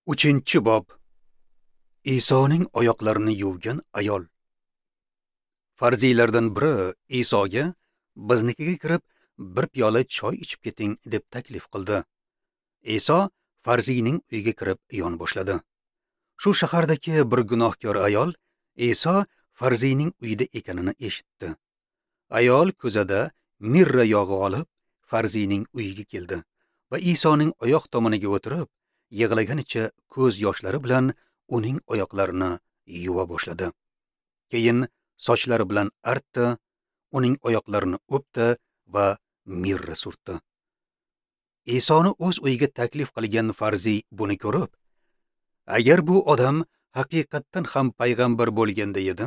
3-bob. Isoning oyoqlarini yuvgan ayol. Farziylardan biri Isoga biznikiga kirib, bir piyola choy ichib keting deb taklif qildi. Iso farziyning uyiga kirib yon boshladi. Shu shahardagi bir gunohkor ayol Iso farziyning uyida ekanini eshitdi. Ayol ko'zada mirra yog'i olib, farziyning uyiga keldi va Isoning oyoq tomoniga o'tirib, yig'laganicha ko'z yoshlari bilan uning oyoqlarini yuva boshladi. Keyin sochlari bilan artdi, uning oyoqlarini o'pdi va mirra surtdi. Isoni o'z uyiga taklif qilgan farziy buni ko'rib, agar bu odam haqiqatdan ham payg'ambar bo'lganda edi,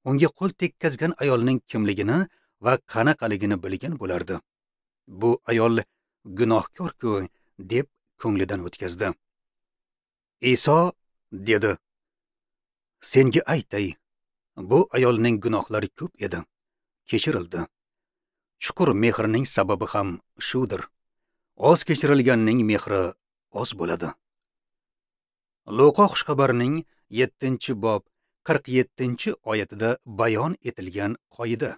unga qo'l tekkazgan ayolning kimligini va qanaqaligini bilgan bo'lardi. Bu ayol gunohkor-ku deb ko'nglidan o'tkazdi. Iso dedi: "Senga aytay, bu ayolning gunohlari ko'p edi, kechirildi. Chuqur mehrning sababi ham shudir. Oz kechirilganning mehri oz bo'ladi." Luqa xushxabarining 7-bob 47-oyatida bayon etilgan qoida.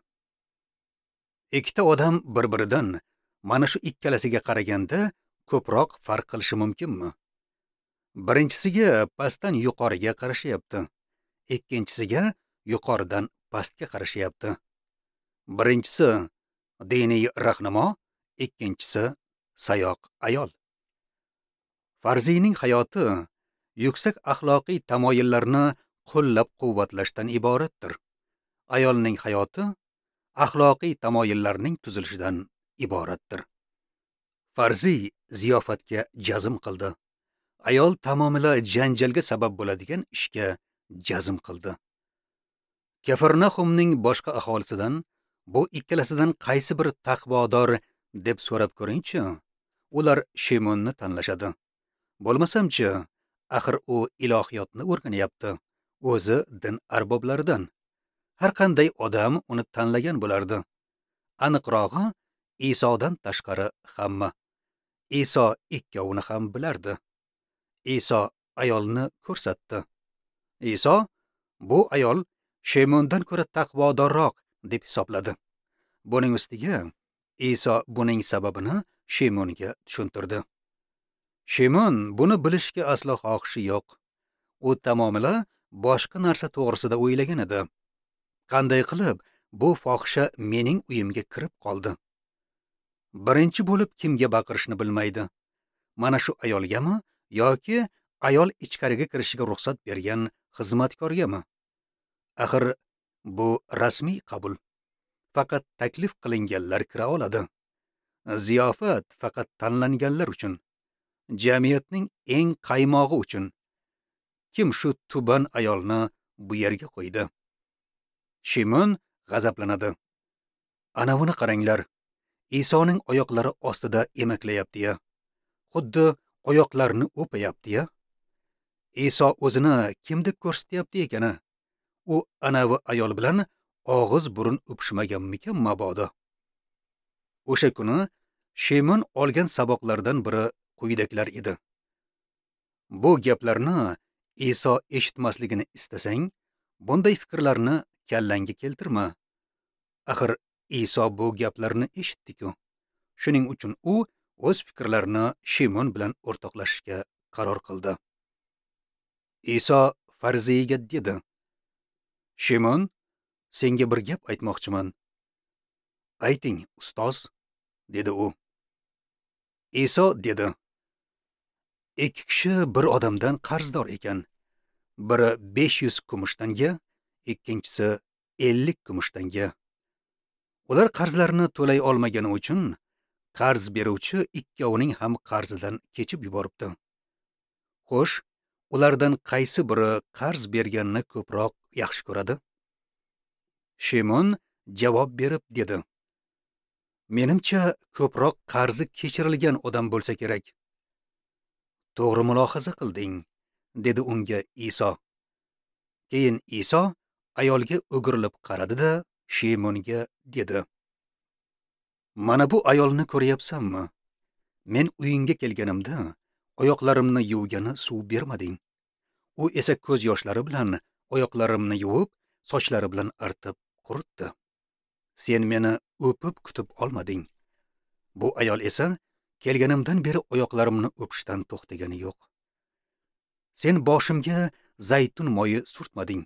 Ikkita odam bir-biridan mana shu ikkalasiga qaraganda ko'proq farq qilishi mumkinmi? Birinchisiga pastdan yuqoriga qarashyapti, ikkinchisiga yuqoridan pastga qarashyapti. Birinchisi diniy rahnamo, ikkinchisi sayoq ayol. Farziyning hayoti yuksak axloqiy tamoyillarni qo'llab-quvvatlashdan iboratdir. Ayolning hayoti axloqiy tamoyillarning tuzilishidan iboratdir. Farziy ziyofatga jazm qildi. Ayol tamomila janjalga sabab bo'ladigan ishga jazm qildi. Kafarnahumning boshqa aholisidan bu ikkalasidan qaysi bir taqvodor deb so'rab ko'ringchi, ular Shimonni tanlashadi. Bo'lmasamchi, axir u ilohiyotni o'rganyapti, o'zi din arboblaridan. Har qanday odam uni tanlagan bo'lardi. Aniqrog'i, Isodan tashqari hamma. Iso ikkovini ham bilardi. Iso ayolni ko'rsatdi. Iso bu ayol Shimondan ko'ra taqvodorroq deb hisobladi. Buning ustiga Iso buning sababini Shimonga tushuntirdi. Shimon buni bilishga aslo xohishi yo'q. U tamomila boshqa narsa to'g'risida o'ylagan edi. Qanday qilib bu fohisha mening uyimga kirib qoldi? Birinchi bo'lib kimga baqirishni bilmaydi. Mana shu ayolgami yoki ayol ichkariga kirishiga ruxsat bergan xizmatkorgami? Axir bu rasmiy qabul. Faqat taklif qilinganlar kira oladi. Ziyofat faqat tanlanganlar uchun, jamiyatning eng qaymog'i uchun. Kim shu tuban ayolni bu yerga qo'ydi? Shimon g'azablanadi. Ana buni qaranglar. Isoning oyoqlari ostida emaklayapti-ya. Xuddi oyoqlarini o'payapti-ya. Iso o'zini kim deb ko'rsatyapti ekani? U anavi ayol bilan og'iz burun o'pishmaganmikan mabodo? O'sha kuni Shimon olgan saboqlardan biri quyidagilar edi. Bu gaplarni Iso eshitmasligini istasang, bunday fikrlarni kallangga keltirma. Axir Iso bu gaplarni eshitdi-ku. Shuning uchun u o'z fikrlarini Shimon bilan o'rtoqlashishga qaror qildi. Iso farziyga dedi: "Shimon, senga bir gap aytmoqchiman." "Ayting, ustoz," dedi u. Iso dedi: "Ikki kishi bir odamdan qarzdor ekan. Biri 500 kumushtanga, ikkinchisi 50 kumushtanga. Ular qarzlarini to'lay olmagani uchun qarz beruvchi ikkovining ham qarzidan kechib yuboribdi. Xo'sh, ulardan qaysi biri qarz berganini ko'proq yaxshi ko'radi?" Shimon javob berib dedi: "Menimcha, ko'proq qarzi kechirilgan odam bo'lsa kerak." "To'g'ri mulohaza qilding," dedi unga Iso. Keyin Iso ayolga o'girilib qaradi-da, Shimonga dedi: "Mana bu ayolni ko'ryapsanmi? Men uyingga kelganimda oyoqlarimni yuvgani suv bermading. U esa ko'z yoshlari bilan oyoqlarimni yuvib, sochlari bilan artib quritdi. Sen meni o'pib kutib olmading. Bu ayol esa kelganimdan beri oyoqlarimni o'pishdan to'xtagani yo'q. Sen boshimga zaytun moyi surtmading.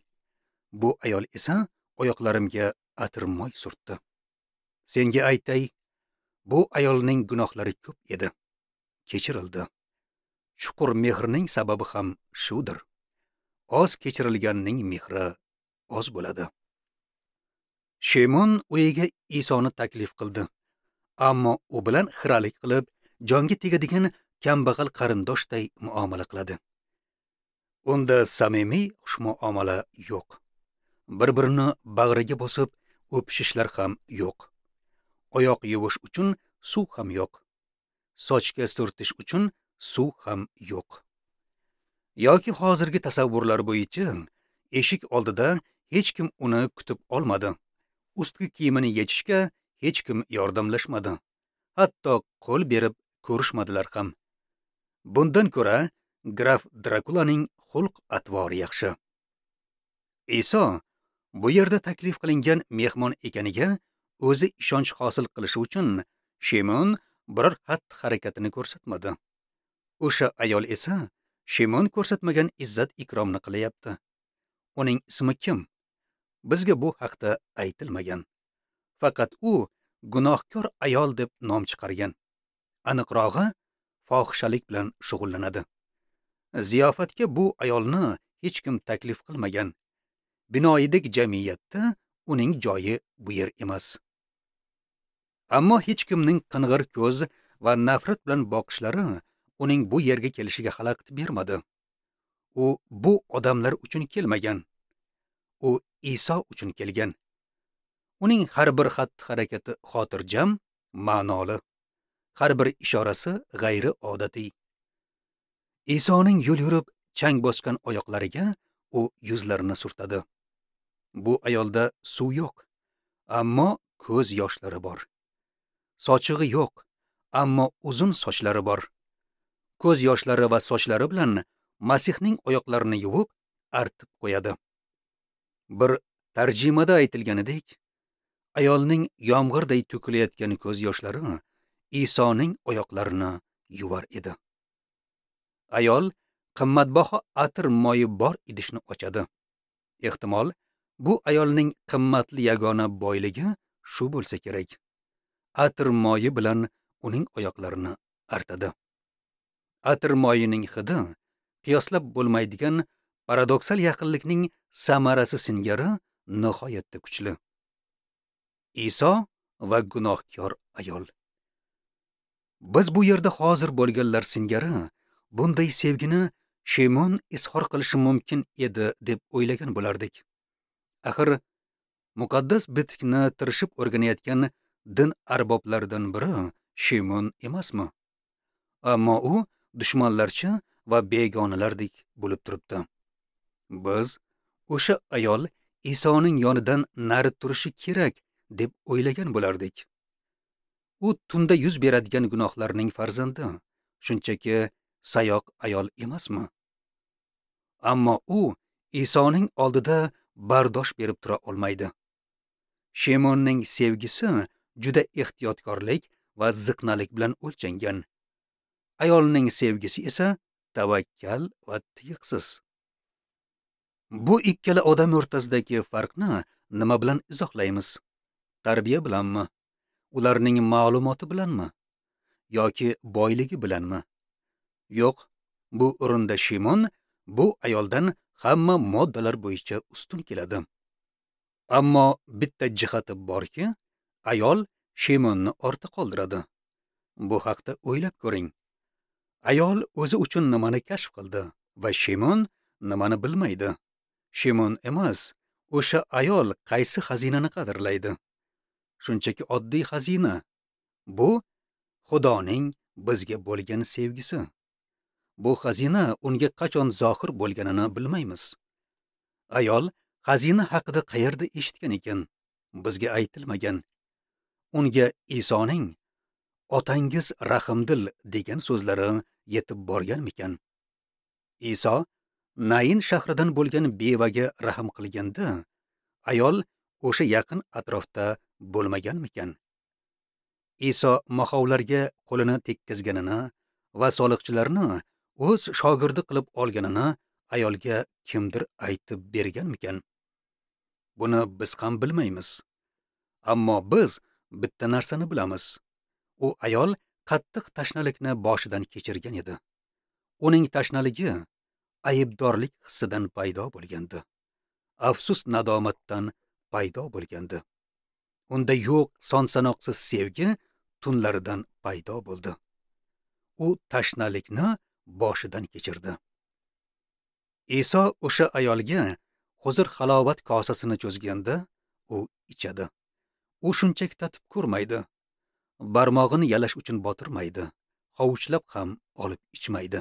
Bu ayol esa oyoqlarimga atir moy surtdi. Senga aytay, bu ayolning gunohlari ko'p edi, kechirildi. Chuqur mehrning sababi ham shudir. Oz kechirilganning mehri oz bo'ladi. Shimon uyiga Isoni taklif qildi. Ammo u bilan xiralik qilib, jonga tegadigan kambag'al qarindoshday muomala qiladi. Unda samimiy xushmuomala yo'q. Bir-birini bag'riga bosib o'pishishlar ham yo'q. Oyoq yuvish uchun suv ham yo'q. Sochga surtish uchun suv ham yo'q. Yoki hozirgi tasavvurlar bo'yicha eshik oldida hech kim uni kutib olmadi. Ustki kiyimini yechishga hech kim yordamlashmadi. Hatto qo'l berib ko'rishmadilar ham. Bundan ko'ra graf Drakulaning xulq atvori yaxshi. Iso bu yerda taklif qilingan mehmon ekaniga o'zi ishonch hosil qilishi uchun Shimon biror xatti-harakatini ko'rsatmadi. O'sha ayol esa Shimon ko'rsatmagan izzat ikromni qilyapti. Uning ismi kim? Bizga bu haqda aytilmagan. Faqat u gunohkor ayol deb nom chiqargan. Aniqrog'i, fohishalik bilan shug'ullanadi. Ziyofatga bu ayolni hech kim taklif qilmagan. Binoyidek jamiyatda uning joyi bu yer emas. Ammo hech kimning qing'ir ko'z va nafrat bilan boqishlari uning bu yerga kelishiga xalaqit bermadi. U bu odamlar uchun kelmagan. U Iso uchun kelgan. Uning har bir xatti-harakati xotirjam, ma'noli. Har bir ishorasi g'ayriodatiy. Isoning yo'l yurib chang bosgan oyoqlariga u yuzlarini surtadi. Bu ayolda suv yo'q, ammo ko'z yoshlari bor. Sochig'i yo'q, ammo uzun sochlari bor. Ko'z yoshlari va sochlari bilan Masihning oyoqlarini yuvib, artib qo'yadi. Bir tarjimada aytilganidek, ayolning yomg'irday to'kilayotgan ko'z yoshlari Isoning oyoqlarini yuvar edi. Ayol qimmatbaho atir moyi bor idishni ochadi. Ehtimol, bu ayolning qimmatli yagona boyligi shu bo'lsa kerak. Atir moyi bilan uning oyoqlarini artadi. Atir moyining hidi qiyoslab bo'lmaydigan paradoksal yaqinlikning samarasi singari nihoyatda kuchli. Iso va gunohkor ayol. Biz bu yerda hozir bo'lganlar singari bunday sevgini Shimon izhor qilishi mumkin edi deb o'ylagan bo'lardik. Axir muqaddas bitikni tirishib o'rganayotgan din arboblaridan biri Shimon emasmi? Ammo u dushmanlarcha va begonalardek bo'lib turibdi. Biz o'sha ayol Isoning yonidan nari turishi kerak deb o'ylagan bo'lardik. U tunda yuz beradigan gunohlarning farzandi, shunchaki sayoq ayol emasmi? Ammo u Isoning oldida bardosh berib tura olmaydi. Shimonning sevgisi juda ehtiyotkorlik va ziqnalik bilan o'lchangan. Ayolning sevgisi esa tavakkal va tiyiqsiz. Bu ikkala odam o'rtasidagi farqni nima bilan izohlaymiz? Tarbiya bilanmi? Ularning ma'lumoti bilanmi? Yoki boyligi bilanmi? Yo'q, bu o'rinda Shimon bu ayoldan hamma moddalar bo'yicha ustun keladi. Ammo bitta jihati borki, ayol Shimonni ortda qoldiradi. Bu haqda o'ylab ko'ring. Ayol o'zi uchun nimani kashf qildi va Shimon nimani bilmaydi. Shimon emas, o'sha ayol qaysi xazinani qadrlaydi? Shunchaki oddiy xazina. Bu Xudoning bizga bo'lgan sevgisi. Bu xazina unga qachon zohir bo'lganini bilmaymiz. Ayol xazina haqida qayerda eshitgan ekan? Bizga aytilmagan. Unga Isoning Otangiz rahimdil degan so'zlari yetib borganmikan? Iso Nain shahridan bo'lgan bevaga rahm qilganda, ayol o'sha yaqin atrofda bo'lmaganmikan? Iso mahovlarga qo'lini tekkizganini va soliqchilarni o'z shogirdi qilib olganini ayolga kimdir aytib berganmikan? Buni biz ham bilmaymiz. Ammo biz bitta narsani bilamiz. U ayol qattiq tashnalikni boshidan kechirgan edi. Uning tashnaligi aybdorlik hissidan paydo bo'lgandi. Afsus nadomatdan paydo bo'lgandi. Unda yo'q son-sanoqsiz sevgi tunlaridan paydo bo'ldi. U tashnalikni boshidan kechirdi. Iso o'sha ayolga huzur halovat kosasini cho'zganda, u ichadi. U shunchaki tatib ko'rmaydi. Barmog'ini yalash uchun botirmaydi, hovuchlab ham olib ichmaydi.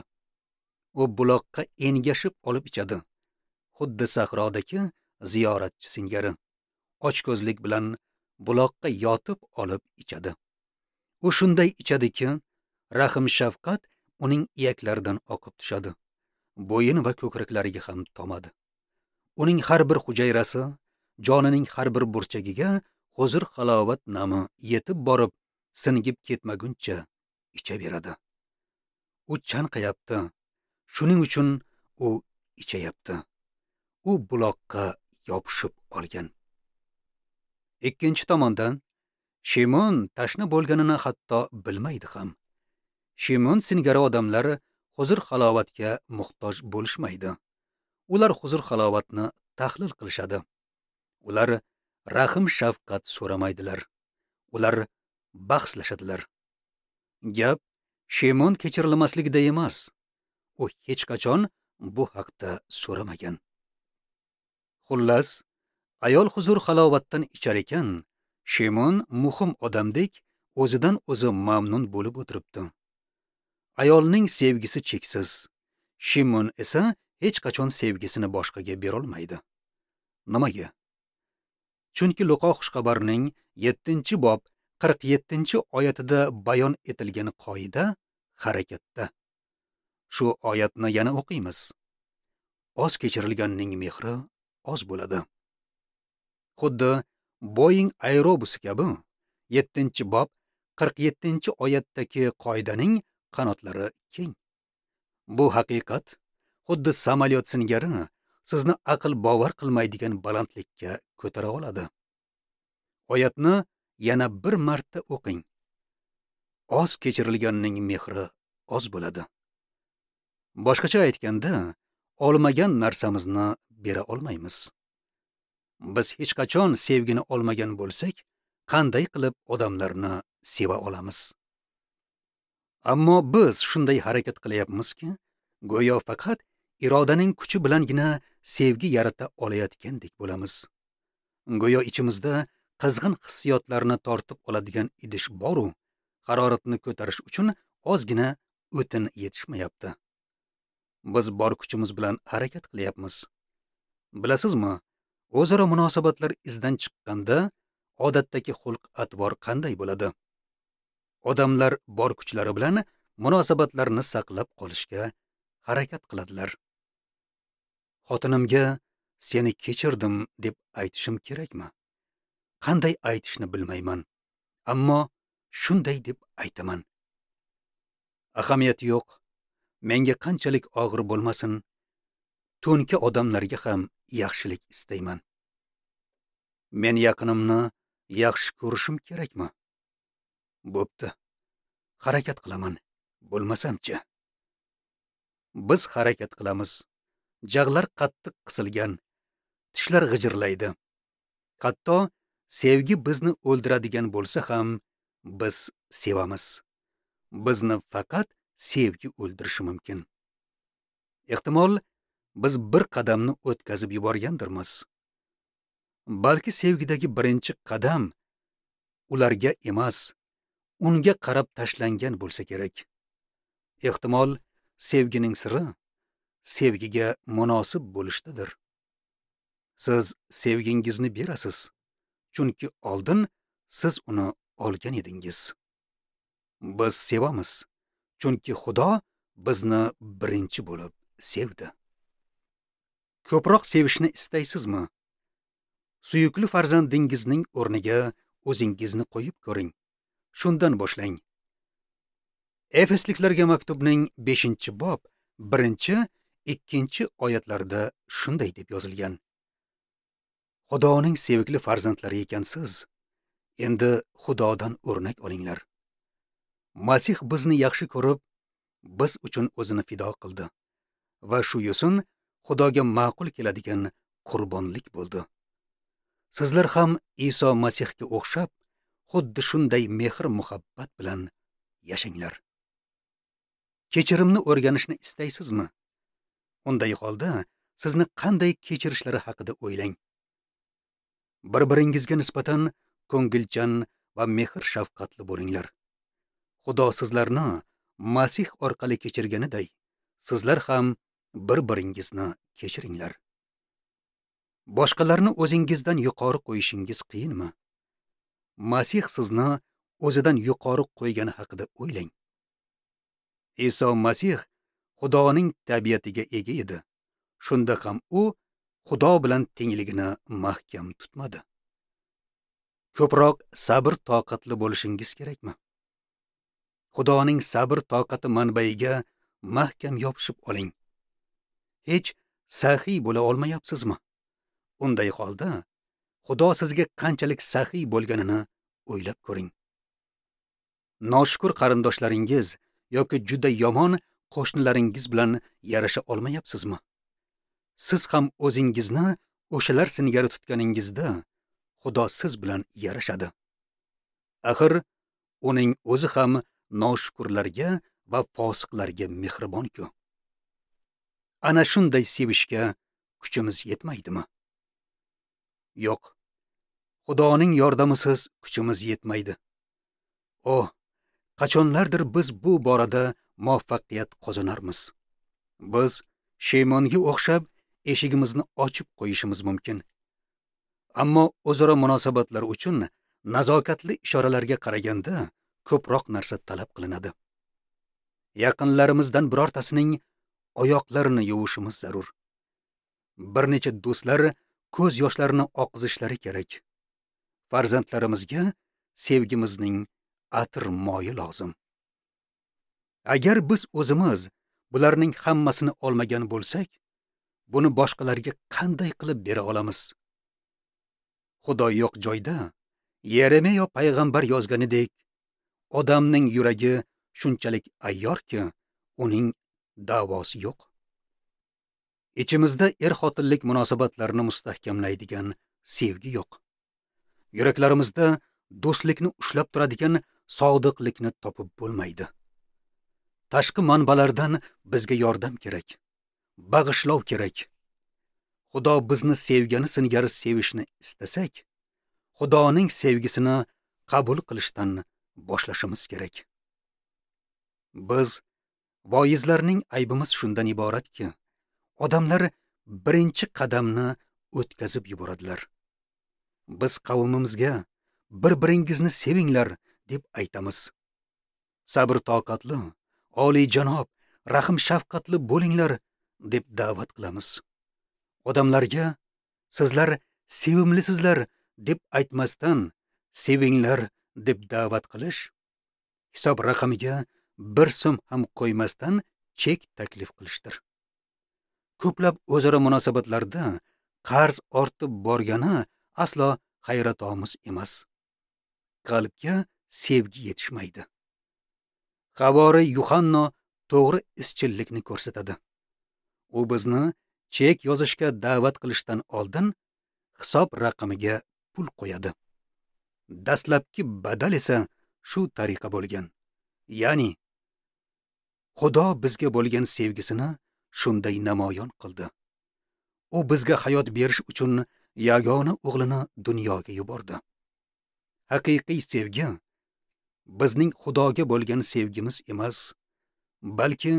U buloqqa engashib olib ichadi. Xuddi sahrodagi ziyoratchi singari ochko'zlik bilan buloqqa yotib olib ichadi. U shunday ichadiki, rahm shafqat uning iyaklaridan oqib tushadi. Bo'yin va ko'kraklariga ham tomadi. Uning har bir hujayrasi, jonining har bir burchagiga huzur halovat nami yetib borib, singib ketmaguncha ichaveradi. U chanqayapti. Shuning uchun u ichayapti. U buloqqa yopishib olgan. Ikkinchi tomondan, Shimon tashna bo'lganini hatto bilmaydi ham. Shimon singari odamlar huzur halovatga muhtoj bo'lishmaydi. Ular huzur halovatni tahlil qilishadi. Ular rahm shafqat so'ramaydilar. Ular bahslashadilar. Gap Shimon kechirilmasligida emas. U hech qachon bu haqda so'ramagan. Xullas, ayol huzur halovatdan ichar ekan, Shimon muhim odamdek o'zidan o'zi mamnun bo'lib o'tiribdi. Ayolning sevgisi cheksiz. Shimon esa hech qachon sevgisini boshqaga bera olmaydi. Nimaga? Chunki Luqo xushxabarining 7-bob 47-oyatida bayon etilgan qoida harakatda. Shu oyatni yana o'qiymiz. Oz kechirilganning mehri oz bo'ladi. Xuddi Boeing aerobusi kabi 7-bob 47-oyatdagi qoidaning qanotlari keng. Bu haqiqat xuddi samolyot singari sizni aql bovar qilmaydigan balandlikka ko'tara oladi. Oyatni yana bir marta o'qing. Oz kechirilganning mehri oz bo'ladi. Boshqacha aytganda, olmagan narsamizni bera olmaymiz. Biz hech qachon sevgini olmagan bo'lsak, qanday qilib odamlarni seva olamiz? Ammo biz shunday harakat qilyapmizki, go'yo faqat irodaning kuchi bilangina sevgi yarata olayotgandek bo'lamiz. Go'yo ichimizda qizg'in hissiyotlarni tortib oladigan idish bor-u, haroratni ko'tarish uchun ozgina o'tin yetishmayapti. Biz bor kuchimiz bilan harakat qilyapmiz. Bilasizmi, o'zaro munosabatlar izdan chiqqanda odatdagi xulq-atvor qanday bo'ladi? Odamlar bor kuchlari bilan munosabatlarni saqlab qolishga harakat qiladilar. Xotinimga seni kechirdim deb aytishim kerakmi? Qanday aytishni bilmayman, ammo shunday deb aytaman. Ahamiyati yo'q. Menga qanchalik og'ir bo'lmasin, to'nka odamlarga ham yaxshilik istayman. Men yaqinimni yaxshi ko'rishim kerakmi? Bo'pti. Harakat qilaman. Bo'lmasamchi? Biz harakat qilamiz. Jag'lar qattiq qisilgan, tishlar g'ijirlaydi. Hatto sevgi bizni o'ldiradigan bo'lsa ham biz sevamiz. Bizni faqat sevgi o'ldirishi mumkin. Ehtimol biz bir qadamni o'tkazib yuborgandirmiz. Balki sevgidagi birinchi qadam ularga emas, unga qarab tashlangan bo'lsa kerak. Ehtimol sevgining siri sevgiga munosib bo'lishdadir. Siz sevgingizni berasiz, chunki oldin siz uni olgan edingiz. Biz sevamiz, chunki Xudo bizni birinchi bo'lib sevdi. Ko'proq sevishni istaysizmi? Suyukli farzandingizning o'rniga o'zingizni qo'yib ko'ring. Shundan boshlang. Efesliklarga maktubning 5-bob 1-2 oyatlarida shunday deb yozilgan: Xudoning sevikli farzandlari ekansiz, endi Xudodan o'rnak olinglar. Masih bizni yaxshi ko'rib, biz uchun o'zini fido qildi va shu yo'sin Xudoga ma'qul keladigan qurbonlik bo'ldi. Sizlar ham Iso Masihga o'xshab, xuddi shunday mehr-muhabbat bilan yashanglar. Kechirimni o'rganishni istaysizmi? Unday holda sizni qanday kechirishlari haqida o'ylang. Bir-biringizga nisbatan ko'ngilchan va mehr-shafqatli bo'linglar. Xudo sizlarni Masih orqali kechirganiday, sizlar ham bir-biringizni kechiringlar. Boshqalarni o'zingizdan yuqori qo'yishingiz qiyinmi? Masih sizni o'zidan yuqori qo'ygani haqida o'ylang. Iso Masih Xudoning tabiatiga ega edi. Shunda ham u Xudo bilan tengligini mahkam tutmadi. Ko'proq sabr toqatli bo'lishingiz kerakmi? Xudoning sabr toqati manbaiga mahkam yopishib oling. Hech saxiy bo'la olmayapsizmi? Unday holda Xudo sizga qanchalik saxiy bo'lganini o'ylab ko'ring. Noshukur qarindoshlaringiz yoki juda yomon qo'shnilaringiz bilan yarasha olmayapsizmi? Siz ham o'zingizni o'shalar singari tutganingizda Xudo siz bilan yarashadi. Axir uning o'zi ham noshukurlarga va fosiqlarga mehribon-ku. Ana shunday sevishga kuchimiz yetmaydimi? Yo'q. Xudoning yordamisiz kuchimiz yetmaydi. Oh, qachonlardir biz bu borada muvaffaqiyat qozonarmiz. Biz Sheymonga o'xshab eshigimizni ochib qo'yishimiz mumkin. Ammo o'zaro munosabatlar uchun nazokatli ishoralarga qaraganda ko'proq narsa talab qilinadi. Yaqinlarimizdan birortasining oyoqlarini yuvishimiz zarur. Bir necha do'stlar ko'z yoshlarini oqizishlari kerak. Farzandlarimizga sevgimizning atir moyi lozim. Agar biz o'zimiz bularning hammasini olmagan bo'lsak, buni boshqalarga qanday qilib bera olamiz? Xudo yo'q joyda Yeremiya payg'ambar yozganidek, odamning yuragi shunchalik ayyorki, uning da'vosi yo'q. Ichimizda er-xotinlik munosabatlarini mustahkamlaydigan sevgi yo'q. Yuraklarimizda do'stlikni ushlab turadigan sodiqlikni topib bo'lmaydi. Tashqi manbalardan bizga yordam kerak, bag'ishlov kerak. Xudo bizni sevgani singari sevishni istasak, Xudoning sevgisini qabul qilishdan boshlashimiz kerak. Biz voizlarning aybimiz shundan iboratki, odamlar birinchi qadamni o'tkazib yuboradilar. Biz qavmimizga bir-biringizni sevinglar deb aytamiz. Sabr toqatli, oliyjanob, rahim shafqatli bo'linglar deb da'vat qilamiz. Odamlarga sizlar sevimlisizlar deb aytmasdan sevinglar deb da'vat qilish, hisob raqamiga bir so'm ham qo'ymasdan chek taklif qilishdir. Ko'plab o'zaro munosabatlarda qarz ortib borgani aslo hayratomuz emas. Qalbga sevgi yetishmaydi. Havori Yuhanno to'g'ri izchillikni ko'rsatadi. U bizni chek yozishga da'vat qilishdan oldin hisob raqamiga pul qo'yadi. Dastlabki badal esa shu tariqa bo'lgan. Ya'ni Xudo bizga bo'lgan sevgisini shunday namoyon qildi. U bizga hayot berish uchun yagona o'g'lini dunyoga yubordi. Haqiqiy sevgi bizning Xudoga bo'lgan sevgimiz emas, balki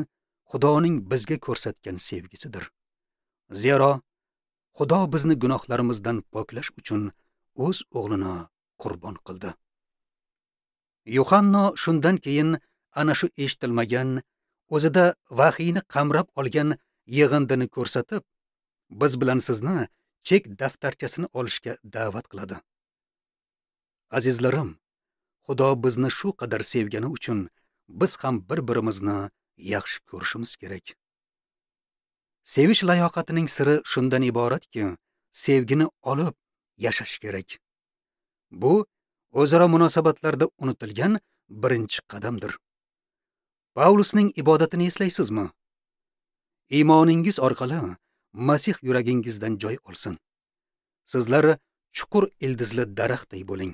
Xudoning bizga ko'rsatgan sevgisidir. Zero Xudo bizni gunohlarimizdan poklash uchun o'z o'g'lini qurbon qildi. Yuhanno shundan keyin ana shu eshitilmagan, o'zida vahiyni qamrab olgan yig'indini ko'rsatib, biz bilan sizni chek daftarchasini olishga da'vat qiladi. Azizlarim, Xudo bizni shu qadar sevgani uchun biz ham bir-birimizni yaxshi ko'rishimiz kerak. Sevish layoqatining siri shundan iboratki, sevgini olib yashash kerak. Bu o'zaro munosabatlarda unutilgan birinchi qadamdir. Pavlusning ibodatini eslaysizmi? Iymoningiz orqali Masih yuragingizdan joy olsin. Sizlar chuqur ildizli daraxtday bo'ling.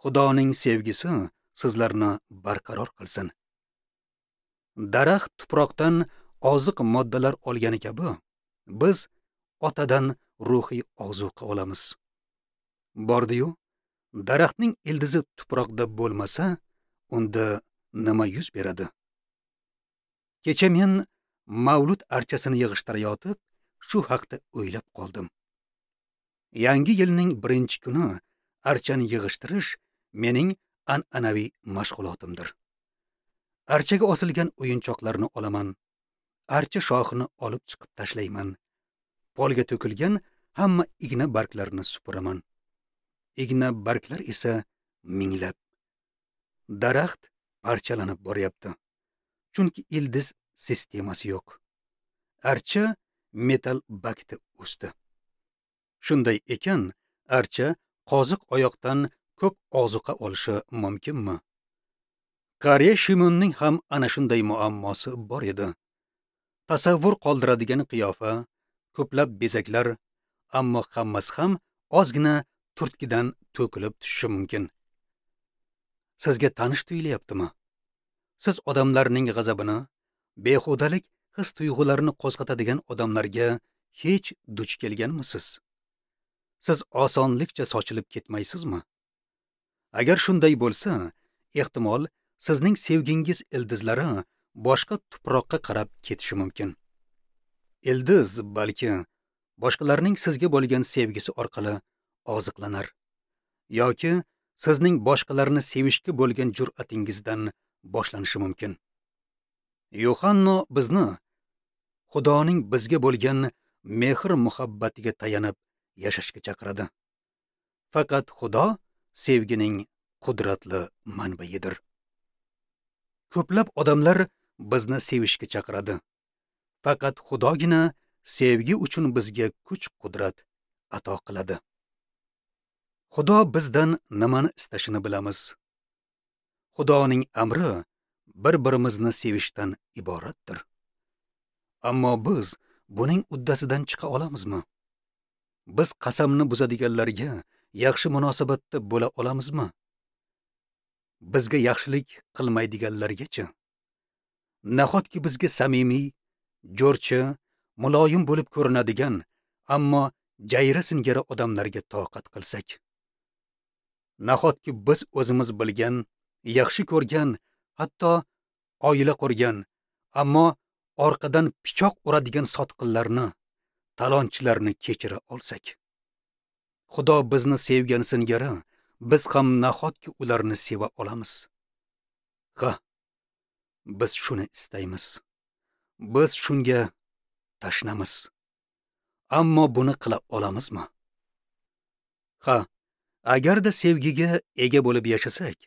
Xudoning sevgisi sizlarni barqaror qilsin. Daraxt tuproqdan oziq moddalar olgani kabi, biz Otadan ruhiy ozuqa olamiz. Bordi-yu, daraxtning ildizi tuproqda bo'lmasa, unda nima yuz beradi? Kecha men mavlud archasini yig'ishtirayotib, shu haqda o'ylab qoldim. Yangi yilning birinchi kuni archani yig'ishtirish mening an'anaviy mashg'ulotimdir. Archaga osilgan o'yinchoqlarni olaman, archa shoxini olib chiqib tashlayman, polga to'kilgan hamma igna barglarini supuraman. Igna barglar esa minglab. Daraxt parchalanib boryapti. Chunki ildiz sistemasi yo'q. Archa metal bakda o'sdi. Shunday ekan, archa qoziq oyoqdan ko'p ozuqa olishi mumkinmi? Qariya Shimonning ham ana shunday muammosi bor edi. Tasavvur qoldiradigan qiyofa, ko'plab bezaklar, ammo hammasi ham ozgina turtkidan to'kilib tushishi mumkin. Sizga tanish tuyulyaptimi? Siz odamlarning g'azabini, behudalik his tuyg'ularini qo'zg'atadigan odamlarga hech duch kelganmisiz? Siz osonlikcha sochilib ketmaysizmi? Agar shunday bo'lsa, ehtimol sizning sevgingiz ildizlari boshqa tuproqqa qarab ketishi mumkin. Ildiz balki boshqalarning sizga bo'lgan sevgisi orqali oziqlanar yoki sizning boshqalarni sevishga bo'lgan jur'atingizdan boshlanishi mumkin. Yuhanno bizni Xudoning bizga bo'lgan mehr-muhabbatiga tayanib yashashga chaqiradi. Faqat Xudo sevgining qudratli manbaidir. Ko'plab odamlar bizni sevishga chaqiradi. Faqat Xudogina sevgi uchun bizga kuch-qudrat ato qiladi. Xudo bizdan nimani istashini bilamiz. Xudoning amri bir-birimizni sevishdan iboratdir. Ammo biz buning uddasidan chiqa olamizmi? Biz qasamni buzadiganlarga yaxshi munosabatda bo'la olamizmi? Bizga yaxshilik qilmaydiganlargacha? Nahotki bizga samimiy, jo'rchi, muloyim bo'lib ko'rinadigan, ammo jayra singari odamlarga toqat qilsak? Nahotki biz o'zimiz bilgan, yaxshi ko'rgan, hatto oila qurgan, ammo orqadan pichoq uradigan sotqinlarni, talonchilarni kechira olsak? Xudo bizni sevgan singari biz ham nahotki ularni seva olamiz? Ha, biz shuni istaymiz. Biz shunga tashnamiz. Ammo buni qila olamizmi? Ha, agarda sevgiga ega bo'lib yashasak,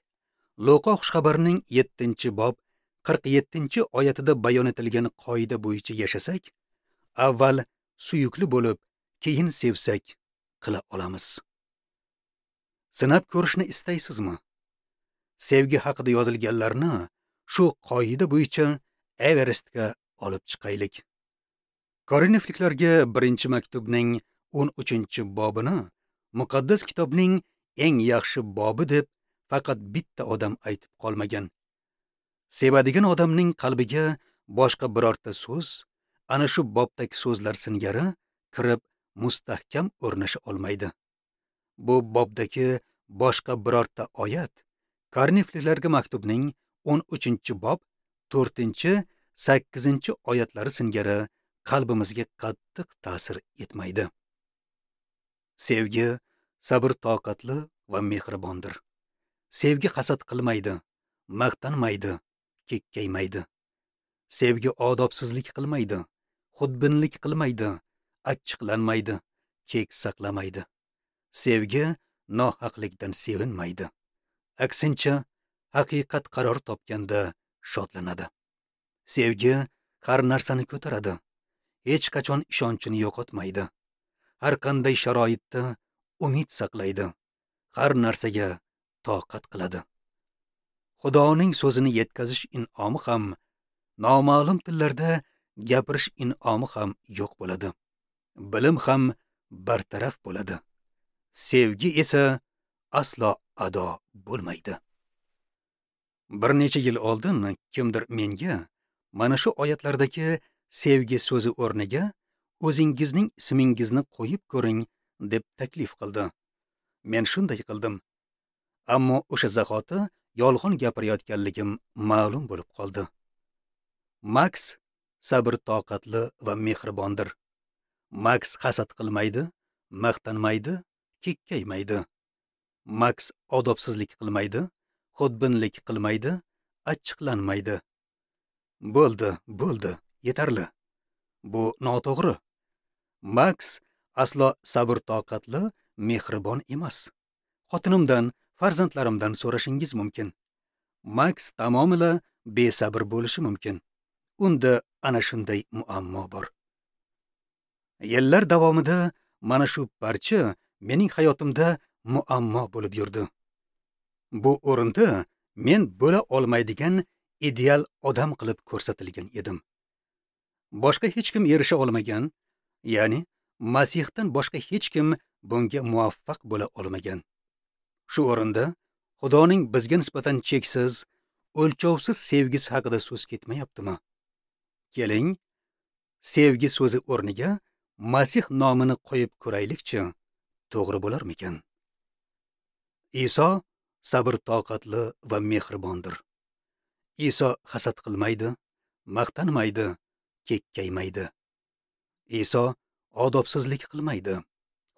Luqa xushxabarining 7-bob 47-oyatida bayon etilgan qoida bo'yicha yashasak, avval suyukli bo'lib, keyin sevsak qila olamiz. Sinab ko'rishni istaysizmi? Sevgi haqida yozilganlarni shu qoida bo'yicha Everestga olib chiqaylik. Korinfliklarga 1-maktubning 13-bobini muqaddas kitobning eng yaxshi bobi deb faqat bitta odam aytib qolmagan. Sevadigan odamning qalbiga boshqa birorta so'z, ana shu bobdagi so'zlar singari kirib mustahkam o'rnasha olmaydi. Bu bobdagi boshqa birorta oyat Korinfliklarga maktubning 13-bob 4-8 oyatlari singari qalbimizga qattiq ta'sir etmaydi. Sevgi sabr toqatli va mehribondir. Sevgi hasad qilmaydi, maqtanmaydi, kekkaymaydi. Sevgi odobsizlik qilmaydi, xudbinlik qilmaydi, achchiqlanmaydi, kek saqlamaydi. Sevgi nohaqlikdan sevinmaydi. Aksincha, haqiqat qaror topganda shodlanadi. Sevgi har narsani ko'taradi, hech qachon ishonchini yo'qotmaydi. Har qanday sharoitda umid saqlaydi, har narsaga toqat qiladi. Xudoning so'zini yetkazish in'omi ham, noma'lum tillarda gapirish in'omi ham yo'q bo'ladi. Bilim ham bartaraf bo'ladi. Sevgi esa aslo ado bo'lmaydi. Bir necha yil oldin kimdir menga mana shu oyatlardagi sevgi so'zi o'rniga o'zingizning ismingizni qo'yib ko'ring deb taklif qildi. Men shunday qildim. Ammo o'sha zahoti yolg'on gapirayotganligim ma'lum bo'lib qoldi. Max sabr toqatli va mehribondir. Max hasad qilmaydi, maqtanmaydi, kekkaymaydi. Max odobsizlik qilmaydi, xudbinlik qilmaydi, achchiqlanmaydi. Bo'ldi, bo'ldi, yetarli. Bu noto'g'ri. Max aslo sabr toqatli, mehribon emas. Xotinimdan, farzandlarimdan so'rashingiz mumkin. Max tamomila besabr bo'lishi mumkin. Unda ana shunday muammo bor. Yillar davomida mana shu parcha mening hayotimda muammo bo'lib yurdi. Bu o'rinda men bo'la olmaydigan ideal odam qilib ko'rsatilgan edim. Boshqa hech kim erisha olmagan, ya'ni Masihdan boshqa hech kim bunga muvaffaq bo'la olmagan. Shu o'rinda Xudoning bizga nisbatan cheksiz, o'lchovsiz sevgisi haqida so'z ketmayaptimi? Keling, sevgi so'zi o'rniga Masih nomini qo'yib ko'raylikchi, to'g'ri bo'larmikan? Iso sabr toqatli va mehribondir. Iso hasad qilmaydi, maqtanmaydi, kekkaymaydi. Iso odobsizlik qilmaydi,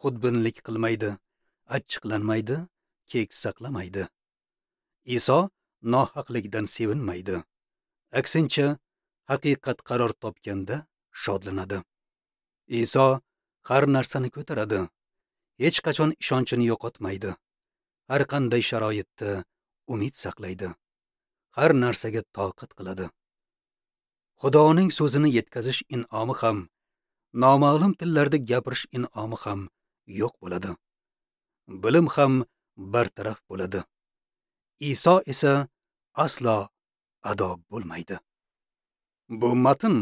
xudbinlik qilmaydi, achchiqlanmaydi, kek saqlamaydi. Iso nohaqlikdan sevinmaydi. Aksincha, haqiqat qaror topganda shodlanadi. Iso har narsani ko'taradi, hech qachon ishonchini yo'qotmaydi. Har qanday sharoitda umid saqlaydi. Har narsaga toqat qiladi. Xudoning so'zini yetkazish in'omi ham, noma'lum tillarda gapirish in'omi ham yo'q bo'ladi. Bilim ham bartaraf bo'ladi. Iso esa aslo ado bo'lmaydi. Bu matn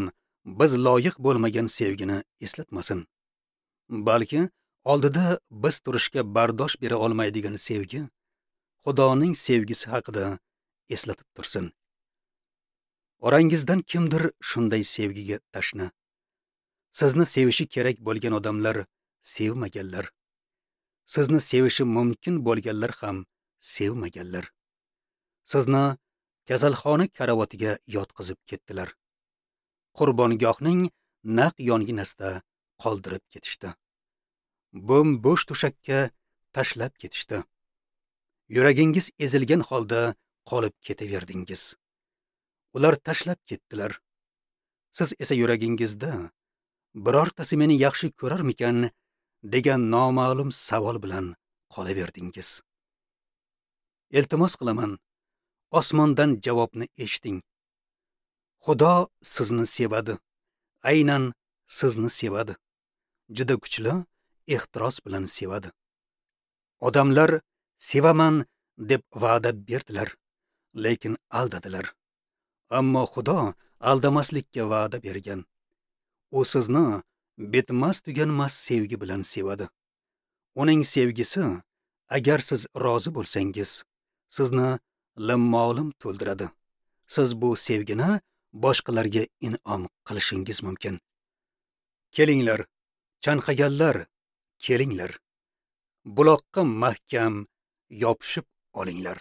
biz loyiq bo'lmagan sevgini eslatmasin, balki oldida biz turishga bardosh bera olmaydigan sevgi, Xudoning sevgisi haqida eslatib tursin. Orangizdan kimdir shunday sevgiga tashna. Sizni sevishi kerak bo'lgan odamlar sevmaganlar. Sizni sevishi mumkin bo'lganlar ham sevmaganlar. Sizni kasalxona karavotiga yotqizib ketdilar. Qurbongohning naq yonginasida qoldirib ketishdi. Bo'm-bo'sh to'shakka tashlab ketishdi. Yuragingiz ezilgan holda qolib ketaverdingiz. Ular tashlab ketdilar. Siz esa yuragingizda birortasi meni yaxshi ko'rarmikan degan noma'lum savol bilan qolaverdingiz. Iltimos qilaman, osmondan javobni eshiting. Xudo sizni sevadi. Aynan sizni sevadi. Juda kuchli ehtiros bilan sevadi. Odamlar sevaman deb va'da berdilar, lekin aldadilar. Ammo Xudo aldamaslikka va'da bergan. U sizni bitmas tuganmas sevgi bilan sevadi. Uning sevgisi, agar siz rozi bo'lsangiz, sizni limmolim to'ldiradi. Siz bu sevgini boshqalarga in'om qilishingiz mumkin. Kelinglar, chanqaganlar, kelinglar. Buloqqa mahkam yopishib olinglar.